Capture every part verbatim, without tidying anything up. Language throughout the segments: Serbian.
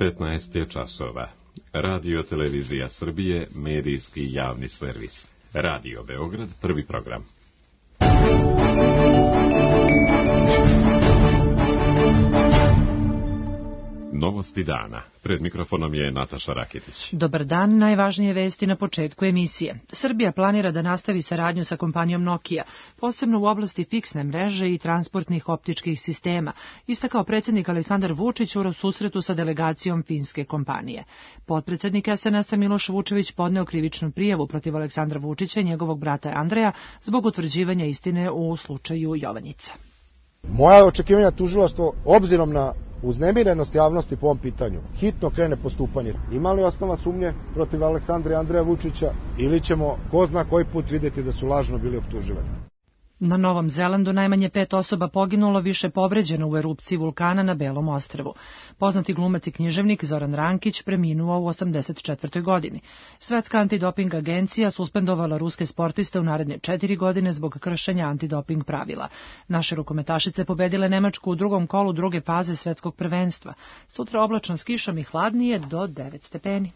petnaest je časova. Radio Televizija Srbije, medijski javni servis. Radio Beograd, prvi program. Novosti dana. Pred mikrofonom je Nataša Raketić. Dobar dan, najvažnije vesti na početku emisije. Srbija planira da nastavi saradnju sa kompanijom Nokia, posebno u oblasti fiksne mreže i transportnih optičkih sistema, istakao predsjednik Aleksandar Vučić u susretu sa delegacijom finske kompanije. Potpredsjednik es en es-a Miloš Vučević podneo krivičnu prijavu protiv Aleksandra Vučića i njegovog brata Andreja zbog utvrđivanja istine u slučaju Jovanjica. Moja očekivanja tužilaštvo, obzirom na uznemirenost javnosti po ovom pitanju, hitno krene postupanje. Ima li osnova sumnje protiv Aleksandra i Andreja Vučića ili ćemo ko zna koji put vidjeti da su lažno bili optuživani? Na Novom Zelandu najmanje pet osoba poginulo, više povređeno u erupciji vulkana na Belom ostrvu. Poznati glumac i književnik Zoran Rankić preminuo u osamdeset četvrtoj godini. Svetska antidoping agencija suspendovala ruske sportiste u naredne četiri godine zbog kršenja antidoping pravila. Naše rukometašice pobedile Nemačku u drugom kolu druge faze svetskog prvenstva. Sutra oblačno s kišom i hladnije do devet stepeni.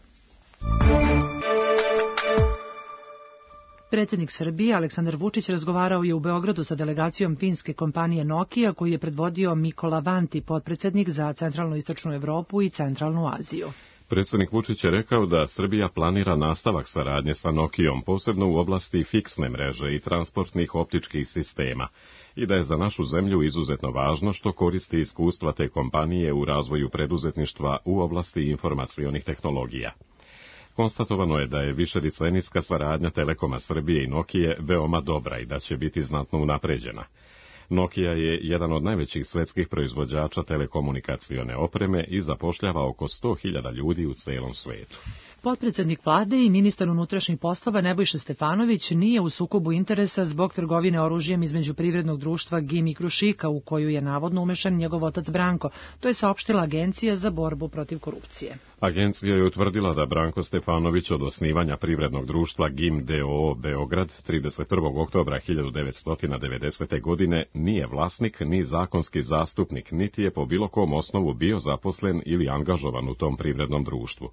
Predsjednik Srbije Aleksandar Vučić razgovarao je u Beogradu sa delegacijom finske kompanije Nokia, koju je predvodio Mikola Vanti, potpredsjednik za centralno-istočnu Evropu i centralnu Aziju. Predsjednik Vučić je rekao da Srbija planira nastavak saradnje sa Nokijom, posebno u oblasti fiksne mreže i transportnih optičkih sistema, i da je za našu zemlju izuzetno važno što koristi iskustva te kompanije u razvoju preduzetništva u oblasti informacionih tehnologija. Konstatovano je da je višedecenijska saradnja Telekoma Srbije i Nokije veoma dobra i da će biti znatno unapređena. Nokia je jedan od najvećih svetskih proizvođača telekomunikacione opreme i zapošljava oko sto hiljada ljudi u celom svetu. Potpredsjednik vlade i ministar unutrašnjih poslova Nebojša Stefanović nije u sukobu interesa zbog trgovine oružjem između privrednog društva Gim i Krušika, u koju je navodno umešan njegov otac Branko. To je saopštila Agencija za borbu protiv korupcije. Agencija je utvrdila da Branko Stefanović od osnivanja privrednog društva Gim d o o Beograd trideset prvog oktobra hiljadu devetsto devedesete. godine nije vlasnik ni zakonski zastupnik, niti je po bilo kom osnovu bio zaposlen ili angažovan u tom privrednom društvu.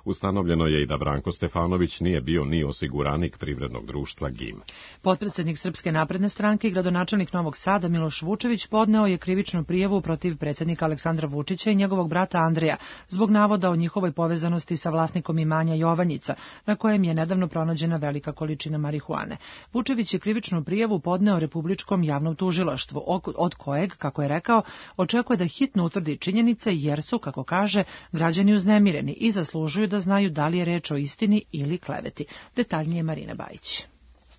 Ustanovljeno je i da Branko Stefanović nije bio ni osiguranik privrednog društva Gim. Potpredsjednik Srpske napredne stranke i gradonačelnik Novog Sada Miloš Vučević podneo je krivičnu prijavu protiv predsjednika Aleksandra Vučića i njegovog brata Andreja zbog navoda o njihovoj povezanosti sa vlasnikom imanja Jovanjica, na kojem je nedavno pronađena velika količina marihuane. Vučević je krivičnu prijavu podneo Republičkom javnom tužilaštvu, od kojeg, kako je rekao, očekuje da hitno utvrdi činjenice jer su, kako kaže, građani uznemireni i zaslužuju da da znaju da li je reč o istini ili kleveti. Detaljnije Marina Bajić.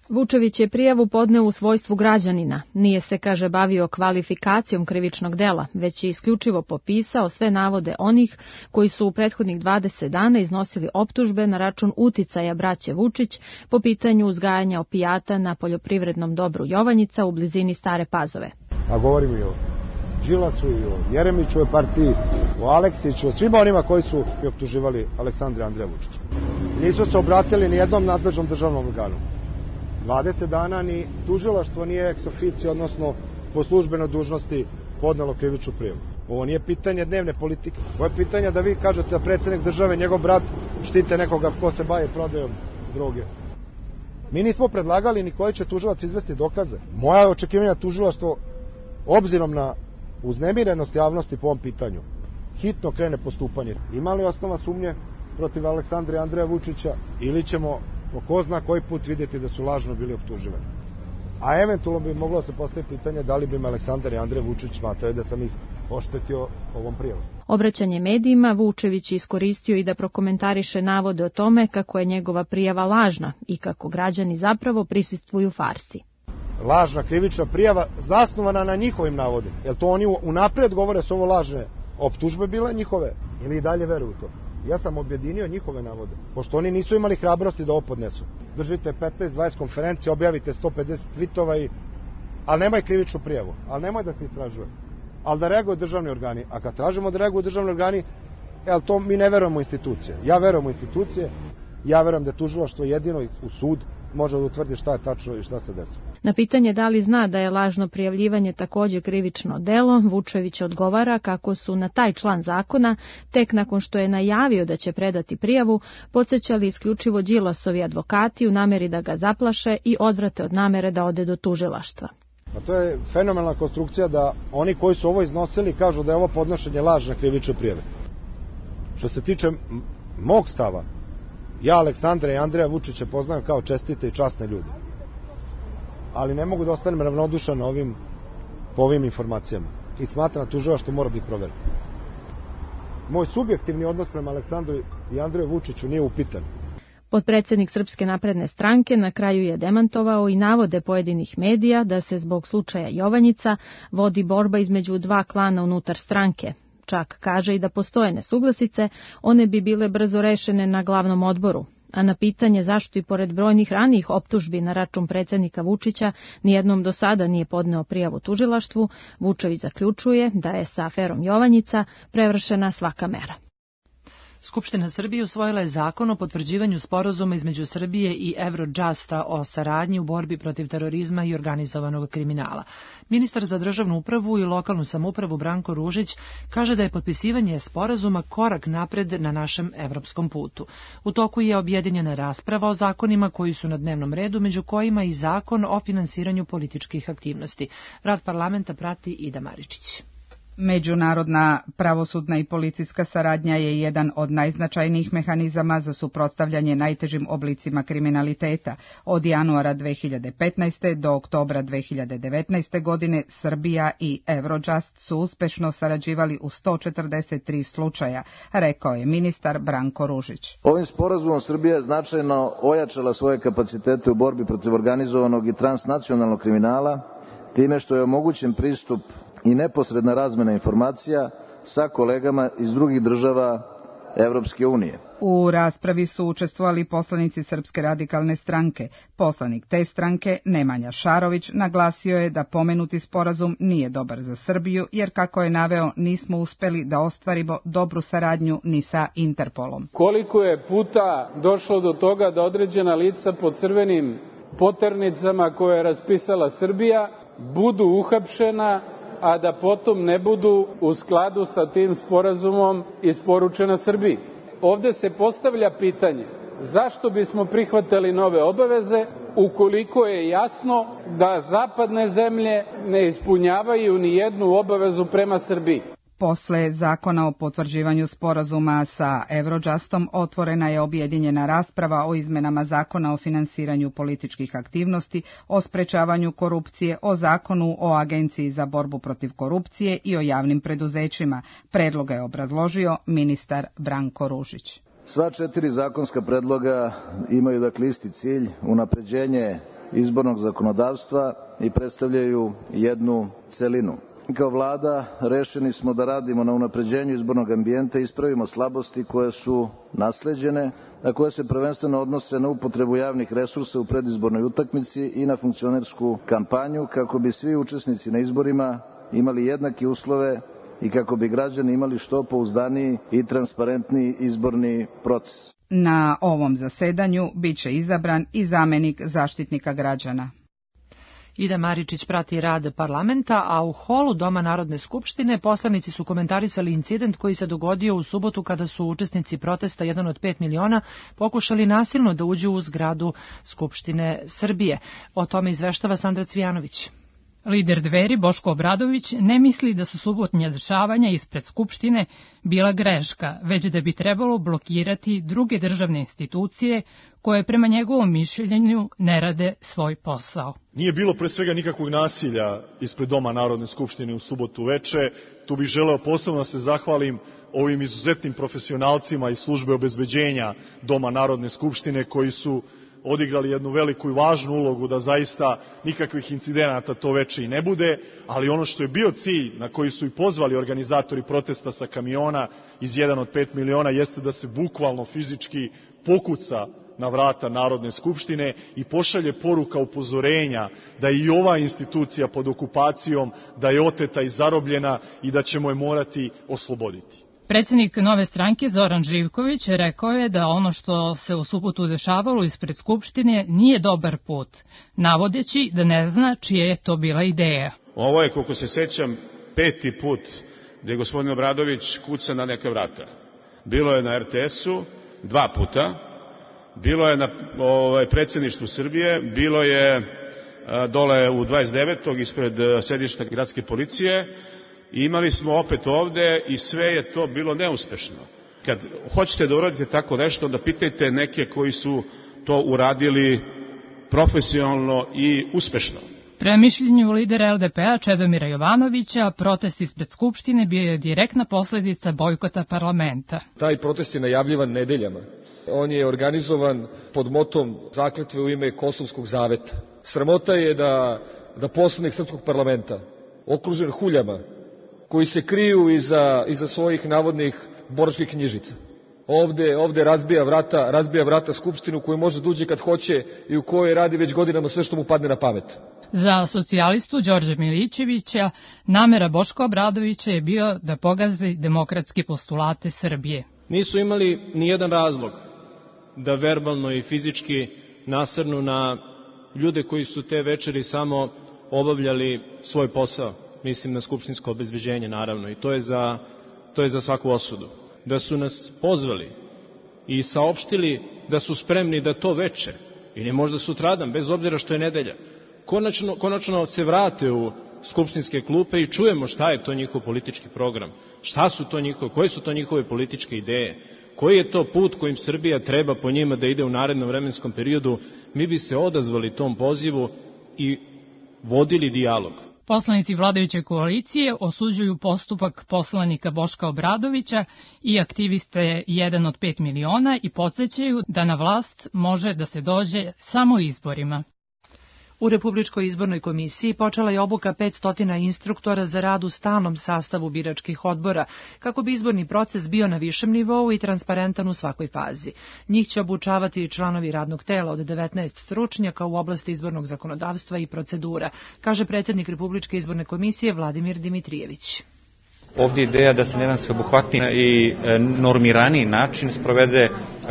Vučević je prijavu podneo u svojstvu građanina. Nije se, kaže, bavio kvalifikacijom krivičnog dela, već je isključivo popisao sve navode onih koji su u prethodnih dvadeset dana iznosili optužbe na račun uticaja braće Vučić po pitanju uzgajanja opijata na poljoprivrednom dobru Jovanjica u blizini Stare Pazove. A govorimo i o Đilasu i o Jeremićovoj partiji, o Aleksiću, o svima onima koji su optuživali Aleksandra i Andreja Vučića. Nisu se obratili ni jednom nadležnom državnom organu. dvadeset dana ni tužilaštvo nije ex officio, odnosno po službenoj dužnosti podnelo krivičnu prijavu. Ovo nije pitanje dnevne politike. Ovo je pitanje da vi kažete da predsjednik države, njegov brat, štite nekoga ko se bavi prodajom droge. Mi nismo predlagali ni koji će tužilac izvesti dokaze. Moja očekivanja tužilaštvo, obzirom na uznemirenost javnosti po ovom pitanju, hitno krene postupanje. Ima li osnova sumnje protiv Aleksandra i Andreja Vučića ili ćemo po ko zna koji put vidjeti da su lažno bili optuživani? A eventualno bi moglo se postaviti pitanje da li bi me Aleksandar i Andrej Vučić smatrali da sam ih oštetio ovom prijavom. Obraćanje medijima Vučević je iskoristio i da prokomentariše navode o tome kako je njegova prijava lažna i kako građani zapravo prisustvuju farsi. Lažna krivična prijava zasnovana na njihovim navodima. Jel to oni unapred govore su ovo lažne optužbe bile njihove ili i dalje veruju to? Ja sam objedinio njihove navode, pošto oni nisu imali hrabrosti da ovo podnesu. Držite petnaest dvadeset konferencije, objavite sto pedeset tvitova, i... ali nemaj krivičnu prijavu, ali nemoj da se istražuje, ali da reaguju državni organi. A kad tražimo da reaguju državni organi, jel to mi ne verujemo u institucije. Ja verujem u institucije, ja verujem da je tužilaštvo jedino u sud može da utvrdi šta je tačno i šta se desilo. Na pitanje da li zna da je lažno prijavljivanje takođe krivično delo, Vučević odgovara kako su na taj član zakona, tek nakon što je najavio da će predati prijavu, podsećali isključivo Đilasovi advokati u nameri da ga zaplaše i odvrate od namere da ode do tužilaštva. A to je fenomenalna konstrukcija da oni koji su ovo iznosili kažu da je ovo podnošenje lažne krivične prijave. Što se tiče mog stava, ja Aleksandra i Andreja Vučića poznajem kao čestite i časne ljude. Ali ne mogu da ostanem ravnodušan ovim, po ovim informacijama. I smatram da tužilaštvo mora da ih proveri. Moj subjektivni odnos prema Aleksandru i Andreju Vučiću nije upitan. Potpredsednik Srpske napredne stranke na kraju je demantovao i navode pojedinih medija da se zbog slučaja Jovanjica vodi borba između dva klana unutar stranke. Čak kaže i da postoje nesuglasice, one bi bile brzo rešene na glavnom odboru. A na pitanje zašto i pored brojnih ranijih optužbi na račun predsednika Vučića nijednom do sada nije podneo prijavu tužilaštvu, Vučević zaključuje da je sa aferom Jovanjica prevršena svaka mera. Skupština Srbije usvojila je zakon o potvrđivanju sporazuma između Srbije i Eurojusta o saradnji u borbi protiv terorizma i organizovanog kriminala. Ministar za državnu upravu i lokalnu samoupravu Branko Ružić kaže da je potpisivanje sporazuma korak napred na našem evropskom putu. U toku je objedinjena rasprava o zakonima koji su na dnevnom redu, među kojima i zakon o finansiranju političkih aktivnosti. Rad parlamenta prati Ida Maričić. Međunarodna pravosudna i policijska saradnja je jedan od najznačajnijih mehanizama za suprotstavljanje najtežim oblicima kriminaliteta. Od januara dve hiljade petnaeste. do oktobra dve hiljade devetnaeste. godine Srbija i Eurojust su uspešno sarađivali u sto četrdeset tri slučaja, rekao je ministar Branko Ružić. Ovim sporazumom Srbija je značajno ojačala svoje kapacitete u borbi protiv organizovanog i transnacionalnog kriminala, time što je omogućen pristup i neposredna razmena informacija sa kolegama iz drugih država Evropske unije. U raspravi su učestvovali poslanici Srpske radikalne stranke. Poslanik te stranke, Nemanja Šarović, naglasio je da pomenuti sporazum nije dobar za Srbiju, jer kako je naveo, nismo uspeli da ostvarimo dobru saradnju ni sa Interpolom. Koliko je puta došlo do toga da određena lica po crvenim poternicama koje je raspisala Srbija budu uhapšena, a da potom ne budu u skladu sa tim sporazumom isporučena Srbiji. Ovde se postavlja pitanje zašto bismo prihvatali nove obaveze ukoliko je jasno da zapadne zemlje ne ispunjavaju ni jednu obavezu prema Srbiji. Posle zakona o potvrđivanju sporazuma sa Eurojustom otvorena je objedinjena rasprava o izmenama zakona o finansiranju političkih aktivnosti, o sprečavanju korupcije, o zakonu o Agenciji za borbu protiv korupcije i o javnim preduzećima. Predloga je obrazložio ministar Branko Ružić. Sva četiri zakonska predloga imaju dakle isti cilj, unapređenje izbornog zakonodavstva i predstavljaju jednu celinu. Kao vlada rešeni smo da radimo na unapređenju izbornog ambijenta i ispravimo slabosti koje su nasleđene, a koje se prvenstveno odnose na upotrebu javnih resursa u predizbornoj utakmici i na funkcionersku kampanju, kako bi svi učesnici na izborima imali jednake uslove i kako bi građani imali što pouzdaniji i transparentniji izborni proces. Na ovom zasedanju biće izabran i zamenik Zaštitnika građana. Ida Maričić prati rad parlamenta, a u holu Doma Narodne skupštine poslanici su komentarisali incident koji se dogodio u subotu kada su učesnici protesta jedan od pet miliona pokušali nasilno da uđu u zgradu Skupštine Srbije. O tome izveštava Sandra Cvijanović. Lider Dveri Boško Obradović ne misli da su subotnja dešavanja ispred Skupštine bila greška, već da bi trebalo blokirati druge državne institucije koje prema njegovom mišljenju ne rade svoj posao. Nije bilo pre svega nikakvog nasilja ispred Doma Narodne skupštine u subotu veče. Tu bih želeo posebno da se zahvalim ovim izuzetnim profesionalcima iz službe obezbeđenja Doma Narodne skupštine koji su odigrali jednu veliku i važnu ulogu da zaista nikakvih incidenata to veče i ne bude, ali ono što je bio cilj na koji su i pozvali organizatori protesta sa kamiona iz jedan od pet miliona jeste da se bukvalno fizički pokuca na vrata Narodne skupštine i pošalje poruka upozorenja da je i ova institucija pod okupacijom, da je oteta i zarobljena i da ćemo je morati osloboditi. Predsjednik Nove stranke Zoran Živković rekao je da ono što se u subotu dešavalo ispred Skupštine nije dobar put, navodeći da ne zna čija je to bila ideja. Ovo je, koliko se sećam, peti put gde gospodin Obradović kuca na neka vrata. Bilo je na er te esu dva puta, bilo je na ovaj, predsjedništvu Srbije, bilo je a, dole u dvadeset devetog ispred a, sedišta gradske policije i imali smo opet ovde i sve je to bilo neuspešno. Kad hoćete da uradite tako nešto, onda pitajte neke koji su to uradili profesionalno i uspešno. Prema mišljenju lidera el de pe a Čedomira Jovanovića, protest ispred Skupštine bio je direktna posledica bojkota parlamenta. Taj protest je najavljivan nedeljama. On je organizovan pod motom zakletve u ime Kosovskog zaveta. Sramota je da, da poslanik srpskog parlamenta, okružen huljama, koji se kriju iza, iza svojih navodnih boračkih knjižica, Ovde, ovde razbija vrata, razbija vrata Skupštinu koju može da uđe kad hoće i u kojoj radi već godinama sve što mu padne na pamet. Za socijalistu Đorđa Milićevića namera Boška Obradovića je bio da pogazi demokratske postulate Srbije. Nisu imali ni jedan razlog da verbalno i fizički nasrnu na ljude koji su te večeri samo obavljali svoj posao, mislim na skupštinsko obezbeđenje naravno, i to je za, to je za svaku osudu. Da su nas pozvali i saopštili da su spremni da to veče ili možda sutradan, bez obzira što je nedelja, konačno, konačno se vrate u skupštinske klupe i čujemo šta je to njihov politički program, šta su to njihove, koje su to njihove političke ideje, koji je to put kojim Srbija treba po njima da ide u narednom vremenskom periodu, mi bi se odazvali tom pozivu i vodili dijalog. Poslanici vladajuće koalicije osuđuju postupak poslanika Boška Obradovića i aktiviste jedan od pet miliona i podsjećaju da na vlast može da se dođe samo izborima. U Republičkoj izbornoj komisiji počela je obuka petsto instruktora za rad u stalnom sastavu biračkih odbora, kako bi izborni proces bio na višem nivou i transparentan u svakoj fazi. Njih će obučavati članovi radnog tela od devetnaest stručnjaka u oblasti izbornog zakonodavstva i procedura, kaže predsjednik Republičke izborne komisije Vladimir Dimitrijević. Ovdje je ideja da se na jedan sveobuhvatni i normiraniji način sprovede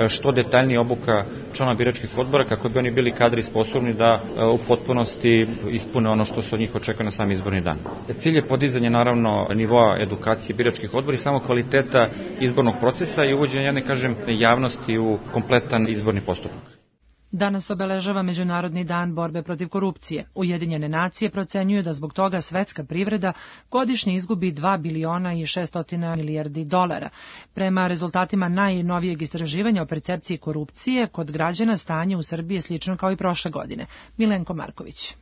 što detaljnija obuka članova biračkih odbora kako bi oni bili kadri i sposobni da u potpunosti ispune ono što se od njih očekuje na sam izborni dan. Cilj je podizanje naravno nivoa edukacije biračkih odbora i samo kvaliteta izbornog procesa i uvođenje jedne, kažem, javnosti u kompletan izborni postupak. Danas obeležava Međunarodni dan borbe protiv korupcije. Ujedinjene nacije procenjuju da zbog toga svetska privreda godišnje izgubi dva biliona i šessto milijardi dolara. Prema rezultatima najnovijeg istraživanja o percepciji korupcije, kod građana stanje u Srbiji je slično kao i prošle godine. Milenko Marković.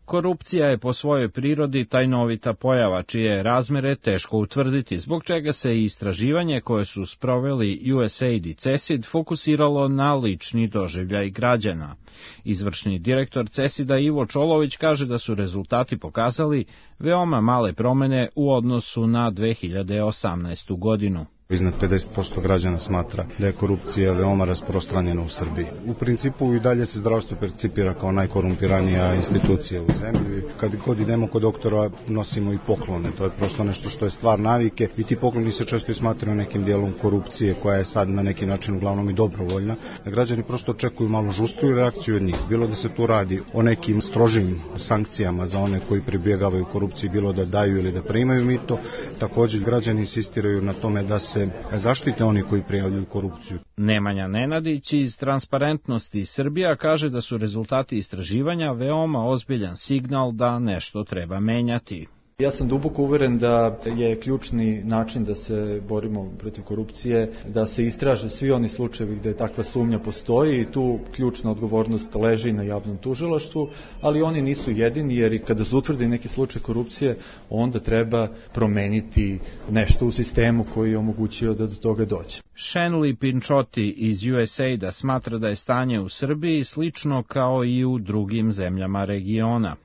Korupcija je po svojoj prirodi tajnovita pojava, čije razmere teško utvrditi, zbog čega se i istraživanje koje su sproveli U S A I D i C E S I D fokusiralo na lični doživljaj građana. Izvršni direktor C E S I D-a Ivo Čolović kaže da su rezultati pokazali veoma male promene u odnosu na dve hiljade osamnaestu godinu. Iznad pedeset posto građana smatra da je korupcija veoma rasprostranjena u Srbiji. U principu i dalje se zdravstvo percipira kao najkorumpiranija institucija u zemlji. Kad god idemo kod doktora nosimo i poklone, to je prosto nešto što je stvar navike i ti pokloni se često i smatraju nekim dijelom korupcije koja je sad na neki način uglavnom i dobrovoljna. Građani prosto očekuju malo žustriju reakciju od njih. Bilo da se tu radi o nekim strožim sankcijama za one koji pribjegavaju korupciji, bilo da daju ili da primaju mito. Također građani insistiraju na tome da se zaštite oni koji prijavljuju korupciju. Nemanja Nenadić iz Transparentnosti Srbija kaže da su rezultati istraživanja veoma ozbiljan signal da nešto treba menjati. Ja sam duboko uveren da je ključni način da se borimo protiv korupcije, da se istraže svi oni slučajevi gde takva sumnja postoji i tu ključna odgovornost leži na javnom tužilaštvu, ali oni nisu jedini jer i kada se utvrdi neki slučaj korupcije, onda treba promeniti nešto u sistemu koji je omogućio da do toga dođe. Shenli Pinchoti iz U S A I D-a smatra da je stanje u Srbiji slično kao i u drugim zemljama regiona.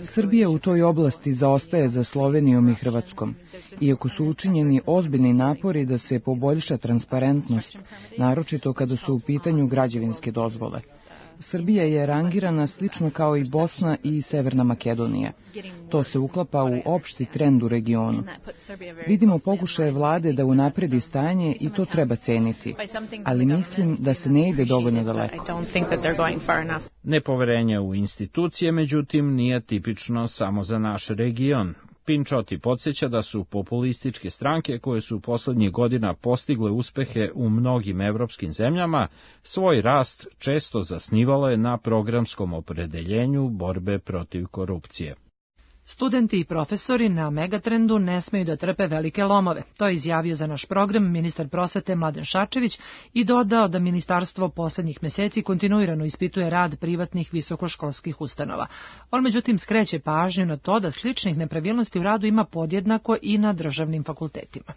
Srbija u toj oblasti zaostaje za Slovenijom i Hrvatskom, iako su učinjeni ozbiljni napori da se poboljša transparentnost, naročito kada su u pitanju građevinske dozvole. Srbija je rangirana slično kao i Bosna i Severna Makedonija. To se uklapa u opšti trend u regionu. Vidimo pokušaje vlade da unapredi stanje i to treba ceniti, ali mislim da se ne ide dovoljno daleko. Nepoverenje u institucije, međutim, nije tipično samo za naš region. Pinčoti podsjeća da su populističke stranke koje su poslednjih godina postigle uspehe u mnogim evropskim zemljama, svoj rast često zasnivale na programskom opredeljenju borbe protiv korupcije. Studenti i profesori na Megatrendu ne smeju da trpe velike lomove. To je izjavio za naš program ministar prosvete Mladen Šarčević i dodao da ministarstvo poslednjih meseci kontinuirano ispituje rad privatnih visokoškolskih ustanova. On međutim skreće pažnju na to da sličnih nepravilnosti u radu ima podjednako i na državnim fakultetima.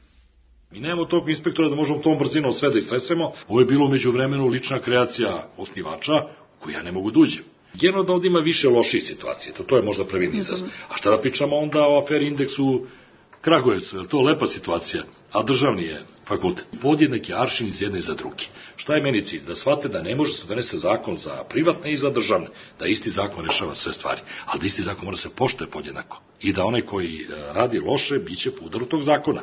Mi nemamo tog inspektora da možemo tom brzinom sve da istresemo. Ovo je bilo umeđu vremenu lična kreacija osnivača koju ja ne mogu da uđem. Generalno da ovdje ima više loših situacija, to, to je možda pravilni izraz. A šta da pričamo onda o aferi indeksu Kragujevcu, je to lepa situacija, a državni je fakultet. Podjednak je aršin iz jedne za drugi. Šta je meni cilj? Da shvate da ne može se donese zakon za privatne i za državne, da isti zakon rešava sve stvari, ali da isti zakon mora se poštuje podjednako. I da onaj koji radi loše, bit će po udaru tog zakona.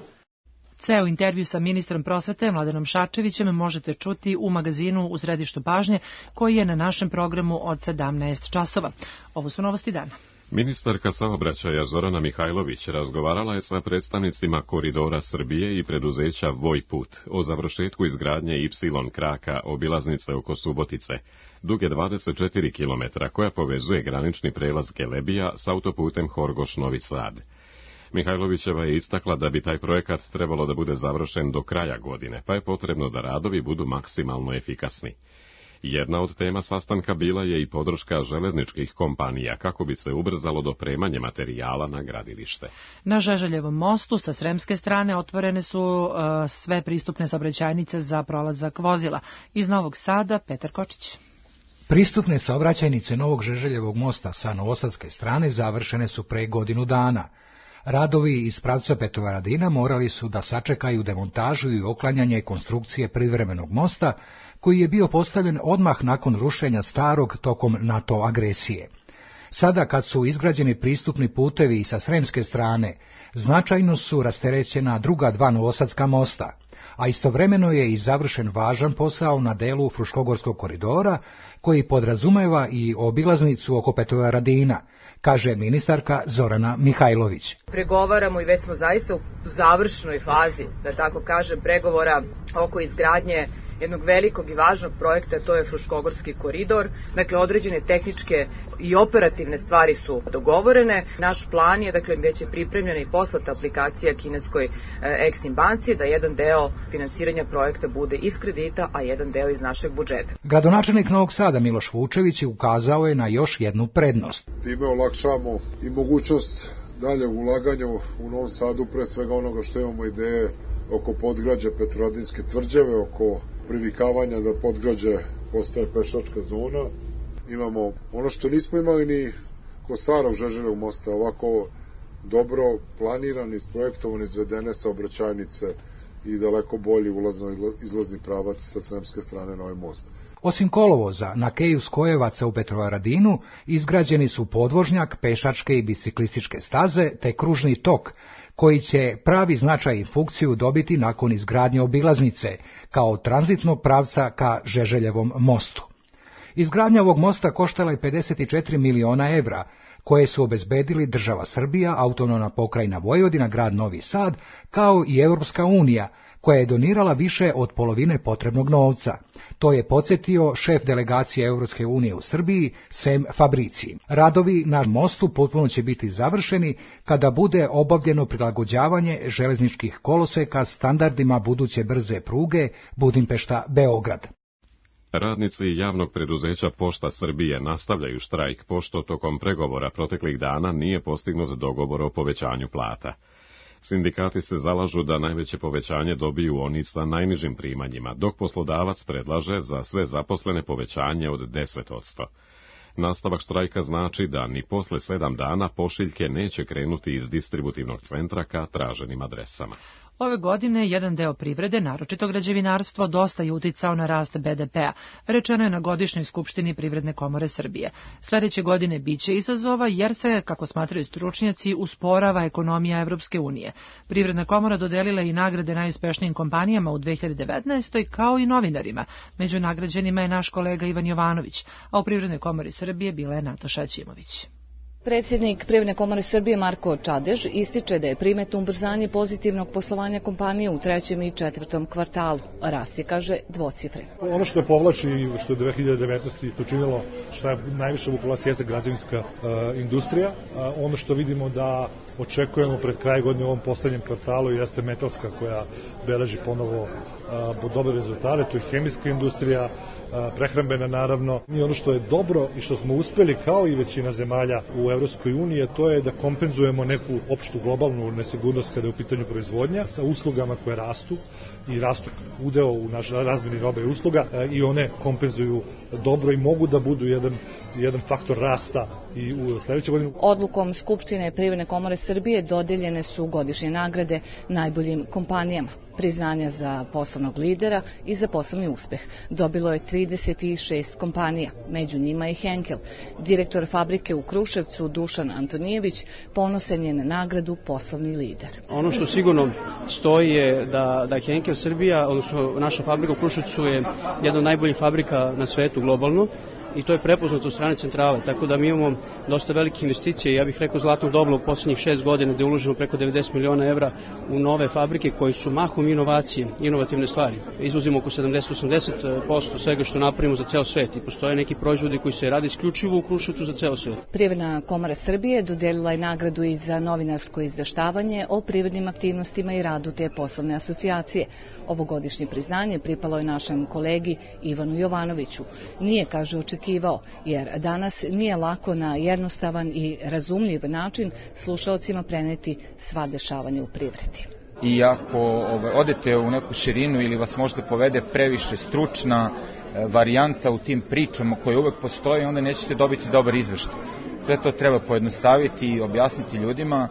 Ceo intervju sa ministrom prosvete Mladenom Šarčevićem možete čuti u magazinu U središtu pažnje, koji je na našem programu od sedamnaest časova. Ovo su novosti dana. Ministarka saobraćaja Zorana Mihajlović razgovarala je sa predstavnicima Koridora Srbije i preduzeća Vojput o završetku izgradnje Y kraka obilaznice oko Subotice, duge dvadeset četiri kilometra, koja povezuje granični prelaz Kelebija s autoputem Horgoš-Novi Sad. Mihajlovićeva je istakla da bi taj projekat trebalo da bude završen do kraja godine, pa je potrebno da radovi budu maksimalno efikasni. Jedna od tema sastanka bila je i podrška železničkih kompanija kako bi se ubrzalo dopremanje materijala na gradilište. Na Žeželjevom mostu sa sremske strane otvorene su uh, sve pristupne saobraćajnice za prolazak vozila. Iz Novog Sada, Petar Kočić. Pristupne saobraćajnice Novog Žeželjevog mosta sa novosadske strane završene su pre godinu dana. Radovi iz pravca Petrovaradina morali su da sačekaju demontažu i oklanjanje konstrukcije privremenog mosta, koji je bio postavljen odmah nakon rušenja starog tokom NATO agresije. Sada, kad su izgrađeni pristupni putevi sa sremske strane, značajno su rasterećena druga dva novosadska mosta, a istovremeno je i završen važan posao na delu Fruškogorskog koridora, koji podrazumeva i obilaznicu oko Petrovaradina, kaže ministarka Zorana Mihajlović. Pregovaramo i već smo zaista u završnoj fazi, da tako kažem, pregovora oko izgradnje jednog velikog i važnog projekta, to je Fruškogorski koridor. Dakle, određene tehničke i operativne stvari su dogovorene. Naš plan je, dakle, već je pripremljena i poslata aplikacija kineskoj Exim banci, da jedan deo finansiranja projekta bude iz kredita, a jedan deo iz našeg budžeta. Gradonačelnik Novog Sada Miloš Vučević ukazao je na još jednu prednost. Time olakšamo i mogućnost dalje ulaganja u Novom Sadu, pre svega onoga što imamo ideje oko podgrađa Petrovaradinske tvrđave, oko privikavanja da podgrađe postaje pešačka zona. Imamo ono što nismo imali ni kod starog Žeželjevog mosta, ovako dobro planirani, isprojektovani, izvedene saobraćajnice i daleko bolji ulazno-izlazni pravac sa sremske strane na ovaj most. Osim kolovoza, na keju Skojevaca u Petrovaradinu izgrađeni su podvožnjak, pešačke i biciklističke staze te kružni tok, koji će pravi značaj i funkciju dobiti nakon izgradnje obilaznice, kao tranzitnog pravca ka Žeželjevom mostu. Izgradnja ovog mosta koštala je pedeset četiri miliona evra, koje su obezbedili država Srbija, autonomna pokrajina Vojvodina, grad Novi Sad, kao i Evropska unija, koja je donirala više od polovine potrebnog novca. To je podsjetio šef delegacije Evropske unije u Srbiji, Sem Fabrici. Radovi na mostu potpuno će biti završeni kada bude obavljeno prilagođavanje železničkih koloseka standardima buduće brze pruge Budimpešta-Beograd. Radnici javnog preduzeća Pošta Srbije nastavljaju štrajk pošto tokom pregovora proteklih dana nije postignut dogovor o povećanju plata. Sindikati se zalažu da najveće povećanje dobiju oni sa najnižim primanjima, dok poslodavac predlaže za sve zaposlene povećanje od deset posto. Nastavak štrajka znači da ni posle sedam dana pošiljke neće krenuti iz distributivnog centra ka traženim adresama. Ove godine jedan deo privrede, naročito građevinarstvo, dosta je uticao na rast be de pea, rečeno je na godišnjoj skupštini Privredne komore Srbije. Sledeće godine biće izazova jer se, kako smatraju stručnjaci, usporava ekonomija Evropske unije. Privredna komora dodelila i nagrade najuspešnijim kompanijama u dve hiljade devetnaestoj kao i novinarima. Među nagrađenima je naš kolega Ivan Jovanović, a u Privrednoj komori Srbije bila je Nataša Ćimović. Predsjednik Privredne komore Srbije Marko Čadež ističe da je primetno ubrzanje pozitivnog poslovanja kompanije u trećem i četvrtom kvartalu. Rast je, kaže, dvocifren. Ono što je povlači i što je dve hiljade devetnaeste. učinilo što je najviše vukla jeste građevinska uh, industrija. Uh, ono što vidimo da očekujemo pred kraj godine u ovom poslednjem kvartalu jeste metalska koja beleži ponovo uh, dobre rezultate, to je hemijska industrija, prehrambena naravno. I ono što je dobro i što smo uspeli kao i većina zemalja u Evropskoj uniji, to je da kompenzujemo neku opštu globalnu nesigurnost kada je u pitanju proizvodnja sa uslugama koje rastu i rastu udeo u naš razmeni robe i usluga i one kompenzuju dobro i mogu da budu jedan, jedan faktor rasta i u sledećoj godini. Odlukom Skupštine Privredne komore Srbije dodeljene su godišnje nagrade najboljim kompanijama. Priznanja za poslovnog lidera i za poslovni uspeh. Dobilo je trideset šest kompanija, među njima i Henkel. Direktor fabrike u Kruševcu Dušan Antonijević ponosan je na nagradu poslovni lider. Ono što sigurno stoji je da, da Henkel Srbija, odnosno naša fabrika u Kruševcu je jedna od najboljih fabrika na svetu globalno. I to je prepoznato od strane centrale, tako da mi imamo dosta velike investicije, ja bih rekao zlatno doba u poslednjih šest godina gde je uloženo preko devedeset miliona evra u nove fabrike koji su mahom inovacije, inovativne stvari. Izvozimo oko sedamdeset do osamdeset posto svega što napravimo za ceo svet i postoje neki proizvodi koji se rade isključivo u Kruševcu za ceo svet. Privredna komora Srbije dodelila je nagradu i za novinarsko izveštavanje o privrednim aktivnostima i radu te poslovne asocijacije. Ovogodišnje priznanje pripalo je našem kolegi Ivanu Jovanoviću. Nije, kaže, očekivao, jer danas nije lako na jednostavan i razumljiv način slušalcima preneti sva dešavanja u privredi. I ako ovaj, odete u neku širinu ili vas možda povede previše stručna e, varijanta u tim pričama koje uvek postoje, onda nećete dobiti dobar izveštaj. Sve to treba pojednostaviti i objasniti ljudima.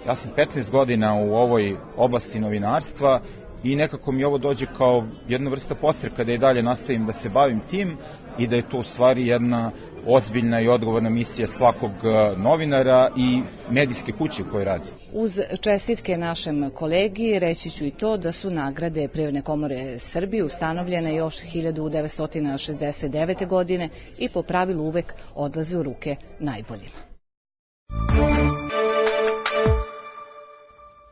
Ja sam petnaest godina u ovoj oblasti novinarstva i nekako mi ovo dođe kao jedna vrsta podstreka da i dalje nastavim da se bavim tim i da je to u stvari jedna ozbiljna i odgovorna misija svakog novinara i medijske kuće u kojoj radi. Uz čestitke našem kolegi reći ću i to da su nagrade Privredne komore Srbije ustanovljene još hiljadu devetsto šezdeset devete. godine i po pravilu uvek odlaze u ruke najboljima.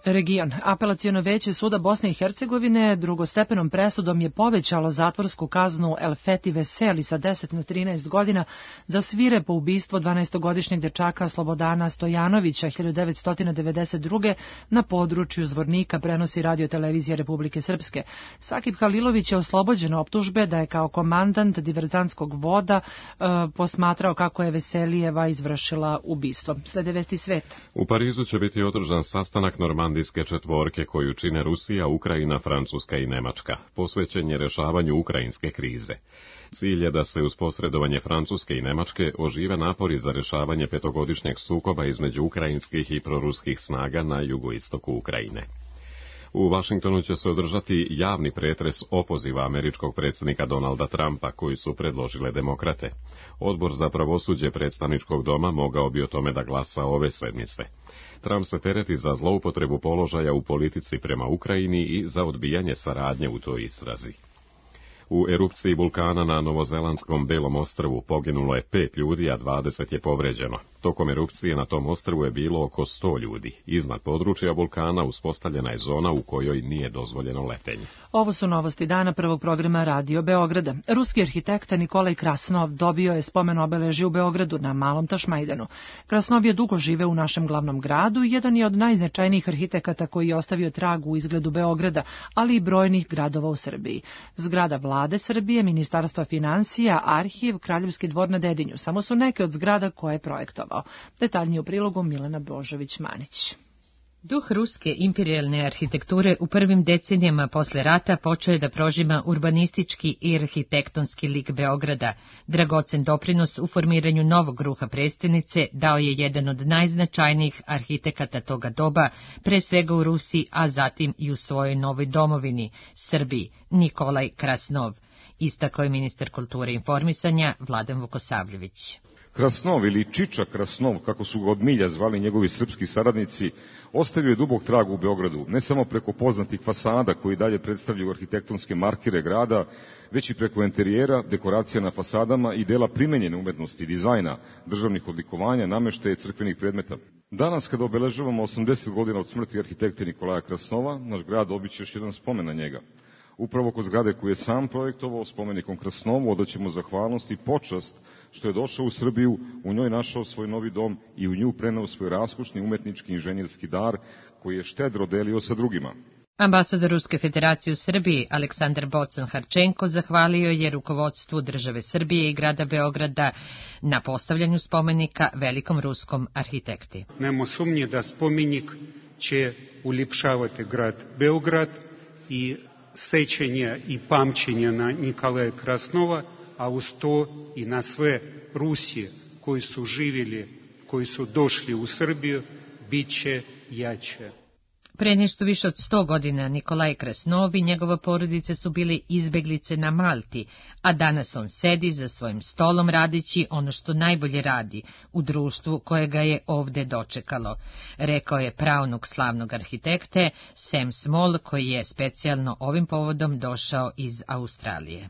Region. Apelaciono veće suda Bosne i Hercegovine drugostepenom presudom je povećalo zatvorsku kaznu Elfeti Veseli sa deset na trinaest godina za svirepo ubistvo dvanaestogodišnjeg dečaka Slobodana Stojanovića hiljadu devetsto devedeset druge. na području Zvornika, prenosi Radio-televizija Republike Srpske. Sakib Halilović je oslobođen optužbe da je kao komandant diverzantskog voda e, posmatrao kako je Veselijeva izvršila ubistvo. Slede vesti sveta. U Parizu će biti održan sastanak normandijske četvorke koju čine Rusija, Ukrajina, Francuska i Nemačka. Posvećen je rešavanju ukrajinske krize. Cilj je da se uz posredovanje Francuske i Nemačke ožive napori za rešavanje petogodišnjeg sukoba između ukrajinskih i proruskih snaga na jugoistoku Ukrajine. U Vašingtonu će se održati javni pretres opoziva američkog predsjednika Donalda Trumpa koji su predložile demokrate. Odbor za pravosuđe predstavničkog doma mogao bi o tome da glasa ove sedmice. Trump se tereti za zloupotrebu položaja u politici prema Ukrajini i za odbijanje saradnje u toj istrazi. U erupciji vulkana na novozelandskom Belom ostrvu poginulo je pet ljudi, a dvadeset je povređeno. Tokom erupcije na tom ostrvu je bilo oko sto ljudi. Iznad područja vulkana uspostavljena je zona u kojoj nije dozvoljeno letenje. Ovo su novosti dana prvog programa Radio Beograda. Ruski arhitekta Nikolaj Krasnov dobio je spomen obeležje u Beogradu na Malom Tašmajdanu. Krasnov je dugo žive u našem glavnom gradu i jedan je od najznačajnijih arhitekata koji je ostavio trag u izgledu Beograda, ali i brojnih gradova u Srbiji. Zgrada Vlade Srbije, Ministarstva financija, Arhiv, Kraljevski dvor na Dedinju. Samo su neke od zgrada koje je projektovao. Detaljnije u prilogu Milena Božović-Manić. Duh ruske imperijalne arhitekture u prvim decenijama posle rata počeo je da prožima urbanistički i arhitektonski lik Beograda. Dragocen doprinos u formiranju novog ruha prestonice dao je jedan od najznačajnijih arhitekata toga doba, pre svega u Rusiji, a zatim i u svojoj novoj domovini, Srbiji, Nikolaj Krasnov, istakao je ministar kulture i informisanja Vladan Vukosavljević. Krasnov ili Čiča Krasnov, kako su ga od milja zvali njegovi srpski saradnici, ostavio je dubok trag u Beogradu, ne samo preko poznatih fasada koji dalje predstavljaju arhitektonske markire grada, već i preko interijera, dekoracija na fasadama i dela primenjene umetnosti, dizajna, državnih odlikovanja, nameštaja crkvenih predmeta. Danas, kada obeležavamo osamdeset godina od smrti arhitekte Nikolaja Krasnova, naš grad obiće još jedan spomen na njega. Upravo kod zgrade koju je sam projektovao spomenikom Krasnovu odaćemo zahvalnost i počast što je došao u Srbiju, u njoj našao svoj novi dom i u nju preneo svoj raskušni umetnički inženjerski dar koji je štedro delio sa drugima. Ambasador Ruske federacije u Srbiji Aleksandar Bocan-Harčenko zahvalio je rukovodstvu države Srbije i grada Beograda na postavljanju spomenika velikom ruskom arhitekti. Nemo sumnje da spomenik će uljepšavati grad Beograd i sećanje i pamćenje na Nikolaja Krasnova, a uz to i na sve Rusije koji su živjeli, koji su došli u Srbiju, bit će jače. Pre nešto više od sto godina Nikolaj Krasnov i njegova porodica su bili izbeglice na Malti, a danas on sedi za svojim stolom radići ono što najbolje radi u društvu koje ga je ovde dočekalo, rekao je praunuk slavnog arhitekte Sam Small, koji je specijalno ovim povodom došao iz Australije.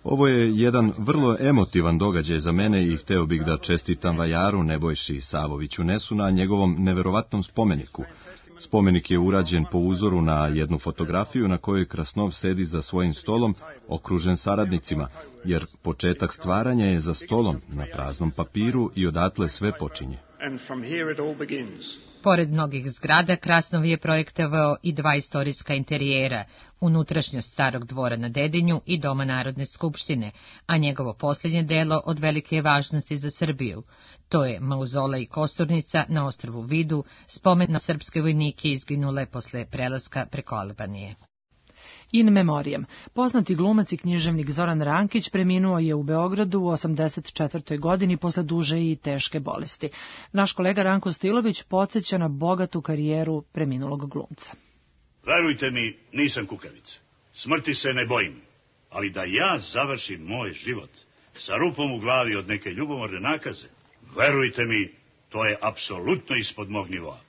Ovo je jedan vrlo emotivan događaj za mene i hteo bih da čestitam vajaru Nebojši Savoviću Nesu na njegovom neverovatnom spomeniku. Spomenik je urađen po uzoru na jednu fotografiju na kojoj Krasnov sedi za svojim stolom, okružen saradnicima, jer početak stvaranja je za stolom, na praznom papiru i odatle sve počinje. Pored mnogih zgrada, Krasnov je projektovao i dva istorijska interijera, unutrašnjost starog dvora na Dedinju i Doma Narodne skupštine, a njegovo posljednje delo od velike je važnosti za Srbiju. To je mauzolej i kosturnica na ostrvu Vidu, spomen na srpske vojnike izginule posle prelaska preko Albanije. In memoriam. Poznati glumac i književnik Zoran Rankić preminuo je u Beogradu u osamdeset četvrtoj godini posle duže i teške bolesti. Naš kolega Ranko Stilović podsjeća na bogatu karijeru preminulog glumca. Verujte mi, nisam kukavica. Smrti se ne bojim. Ali da ja završim moj život sa rupom u glavi od neke ljubomorne nakaze, verujte mi, to je apsolutno ispod mog nivoa.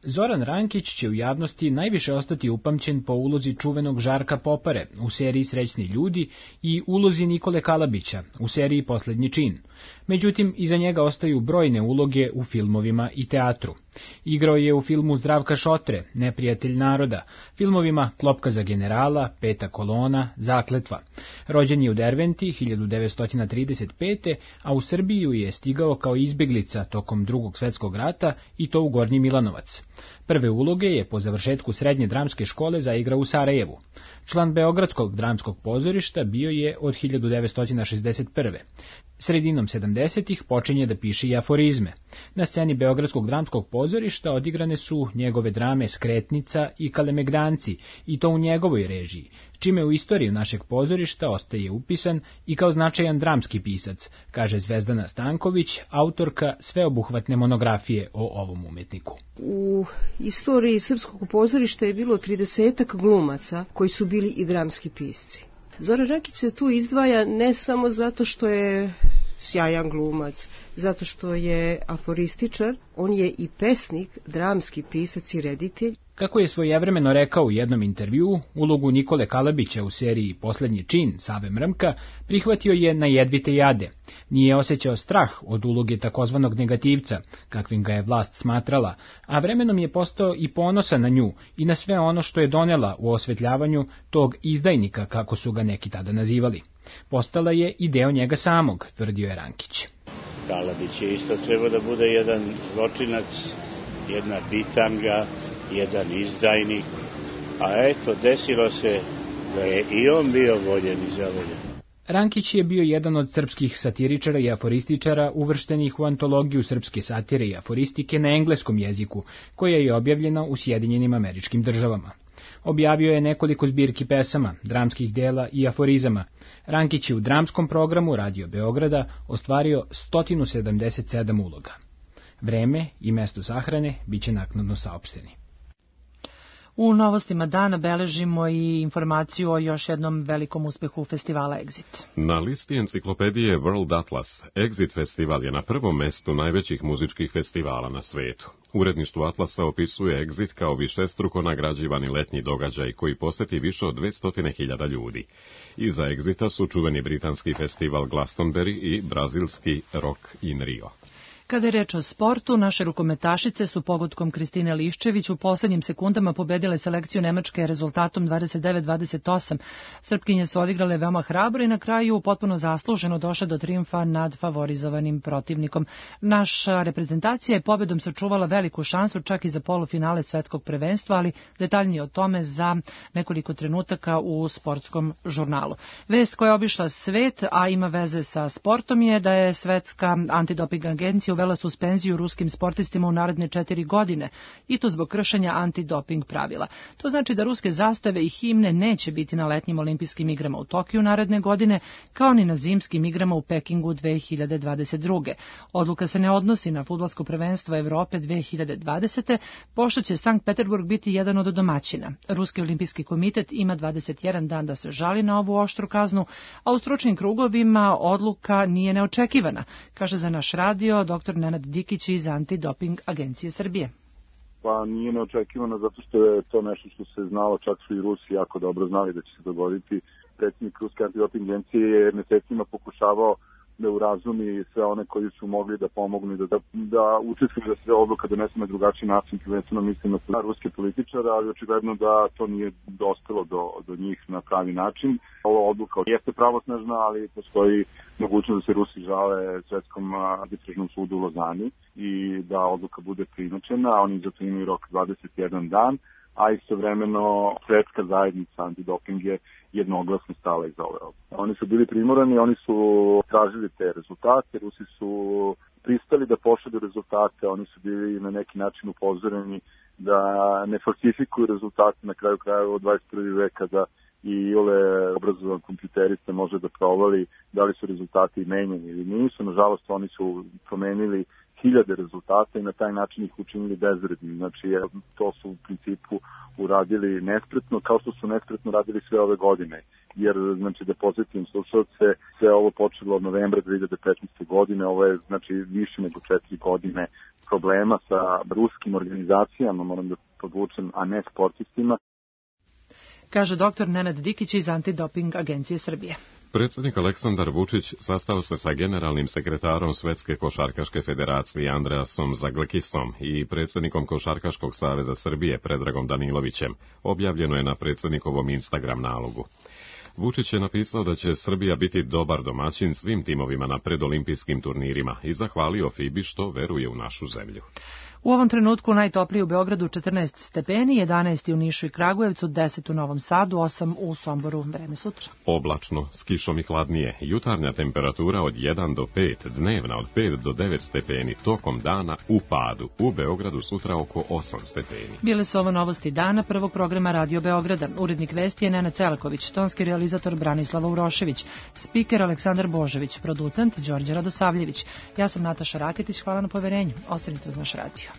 Zoran Rankić će u javnosti najviše ostati upamćen po ulozi čuvenog Žarka Popare u seriji Srećni ljudi i ulozi Nikole Kalabića u seriji Poslednji čin. Međutim, iza njega ostaju brojne uloge u filmovima i teatru. Igrao je u filmu Zdravka Šotre, Neprijatelj naroda, filmovima Klopka za generala, Peta kolona, Zakletva. Rođen je u Derventi hiljadu devetsto trideset pete. a u Srbiju je stigao kao izbeglica tokom Drugog svetskog rata i to u Gornji Milanovac. Prve uloge je po završetku srednje dramske škole zaigrao u Sarajevu. Član Beogradskog dramskog pozorišta bio je od hiljadu devetsto šezdeset prve. Sredinom sedamdesetih počinje da piše i aforizme. Na sceni Beogradskog dramskog pozorišta odigrane su njegove drame Skretnica i Kalemegdanci, i to u njegovoj režiji, čime u istoriju našeg pozorišta ostaje upisan i kao značajan dramski pisac, kaže Zvezdana Stanković, autorka sveobuhvatne monografije o ovom umetniku. U istoriji srpskog pozorišta je bilo tridesetak glumaca koji su bili i dramski pisci. Zoran Rankić se tu izdvaja ne samo zato što je sjajan glumac, zato što je aforističar, on je i pesnik, dramski pisac i reditelj. Kako je svojevremeno rekao u jednom intervjuu, ulogu Nikole Kalabića u seriji Poslednji čin Save Mrmka prihvatio je na jedvite jade. Nije osjećao strah od uloge takozvanog negativca, kakvim ga je vlast smatrala, a vremenom je postao i ponosan na nju i na sve ono što je donela u osvetljavanju tog izdajnika, kako su ga neki tada nazivali. Postala je i deo njega samog, tvrdio je Rankić. Kalabić je isto trebao da bude jedan zločinac, jedna bitanga, jedan izdajnik, a eto, desilo se da je i on bio voljen i zavoljen. Rankić je bio jedan od srpskih satiričara i aforističara uvrštenih u antologiju srpske satire i aforistike na engleskom jeziku, koja je objavljena u Sjedinjenim Američkim Državama. Objavio je nekoliko zbirki pesama, dramskih dela i aforizama. Rankić je u dramskom programu Radio Beograda ostvario sto sedamdeset sedam uloga. Vreme i mesto sahrane biće naknadno saopšteni. U novostima dana beležimo i informaciju o još jednom velikom uspehu festivala Exit. Na listi enciklopedije World Atlas, Exit festival je na prvom mestu najvećih muzičkih festivala na svetu. Uredništvo Atlasa opisuje Exit kao višestruko nagrađivani letnji događaj koji poseti više od dvesta hiljada ljudi. Iza Exita su čuveni britanski festival Glastonbury i brazilski Rock in Rio. Kada je reč o sportu, naše rukometašice su pogodkom Kristine Liščević u poslednjim sekundama pobedile selekciju Nemačke rezultatom dvadeset devet dvadeset osam. Srpkinje su odigrale veoma hrabro i na kraju potpuno zasluženo došle do trijumfa nad favorizovanim protivnikom. Naša reprezentacija je pobedom sačuvala veliku šansu čak i za polufinale svetskog prvenstva, ali detaljnije o tome za nekoliko trenutaka u sportskom žurnalu. Vest koja je obišla svet, a ima veze sa sportom, je da je Svetska antidoping agencija uvela suspenziju ruskim sportistima u naredne četiri godine, i to zbog kršenja antidoping pravila. To znači da ruske zastave i himne neće biti na letnjim olimpijskim igrama u Tokiju naredne godine, kao ni na zimskim igrama u Pekingu dve hiljade dvadeset druge. Odluka se ne odnosi na fudbalsko prvenstvo Evrope dve hiljade dvadesete, pošto će Sankt Peterburg biti jedan od domaćina. Ruski olimpijski komitet ima dvadeset jedan dan da se žali na ovu oštru kaznu, a u stručnim krugovima odluka nije neočekivana, kaže za naš radio dr. Nenad Dikić iz Antidoping agencije Srbije. Pa nije neočekivano zato što je to nešto što se znalo, čak su i Rusi jako dobro znali da će se dogoditi. Predsjednik Ruske antidoping agencije je mesecima pokušavao da urazumi sve one koji su mogli da pomognu i da, da, da učestvuju da se odluka donese na drugačiji način, prvenstveno mislim na ruske političare, ali očigledno da to nije dospelo do, do njih na pravi način. Ova odluka jeste pravosnažna, ali postoji mogućnost da se Rusi žale Svetskom arbitražnom sudu u Lozani i da odluka bude prinačena. Oni zato imaju rok dvadeset jedan dan, a istovremeno svetska zajednica antidoping je jednoglasno stala iza ove odluke. Oni su bili primorani, oni su tražili te rezultate, Rusi su pristali da pošalju rezultate, oni su bili na neki način upozoreni da ne falsifikuju rezultate na kraju krajeva od dvadeset prvog veka, da i ole obrazovan kompjuterista može da provali da li su rezultati menjeni ili nisu. Nažalost, oni su promenili hiljade rezultata i na taj način ih učinili bezvrednim. Znači, to su u principu uradili nespretno, kao što su nespretno radili sve ove godine. Jer, znači, da posjetim slušalce, sve ovo počelo od novembra dve hiljade petnaeste. godine, ovo je, znači, više nego četiri godine problema sa ruskim organizacijama, moram da podvučem, a ne sportistima. Kaže dr. Nenad Dikić iz Antidoping agencije Srbije. Predsjednik Aleksandar Vučić sastao se sa generalnim sekretarom Svetske košarkaške federacije Andreasom Zaglekisom i predsjednikom Košarkaškog saveza Srbije Predragom Danilovićem, objavljeno je na predsjednikovom Instagram nalogu. Vučić je napisao da će Srbija biti dobar domaćin svim timovima na predolimpijskim turnirima i zahvalio FIBA-i što veruje u našu zemlju. U ovom trenutku najtoplije u Beogradu četrnaest stepeni, jedanaest u Nišu i Kragujevcu, deset u Novom Sadu, osam u Somboru. Vreme sutra. Oblačno, s kišom i hladnije. Jutarnja temperatura od jedan do pet, dnevna od pet do devet stepeni, tokom dana u padu. U Beogradu sutra oko osam stepeni. Bile su ovo novosti dana prvog programa Radio Beograda. Urednik vesti je Nenad Celaković, tonski realizator Branislava Urošević, spiker Aleksandar Božović, producent Đorđe Radosavljević. Ja sam Nataša Raketić, hvala na poverenju. Ostanite uz naš radio.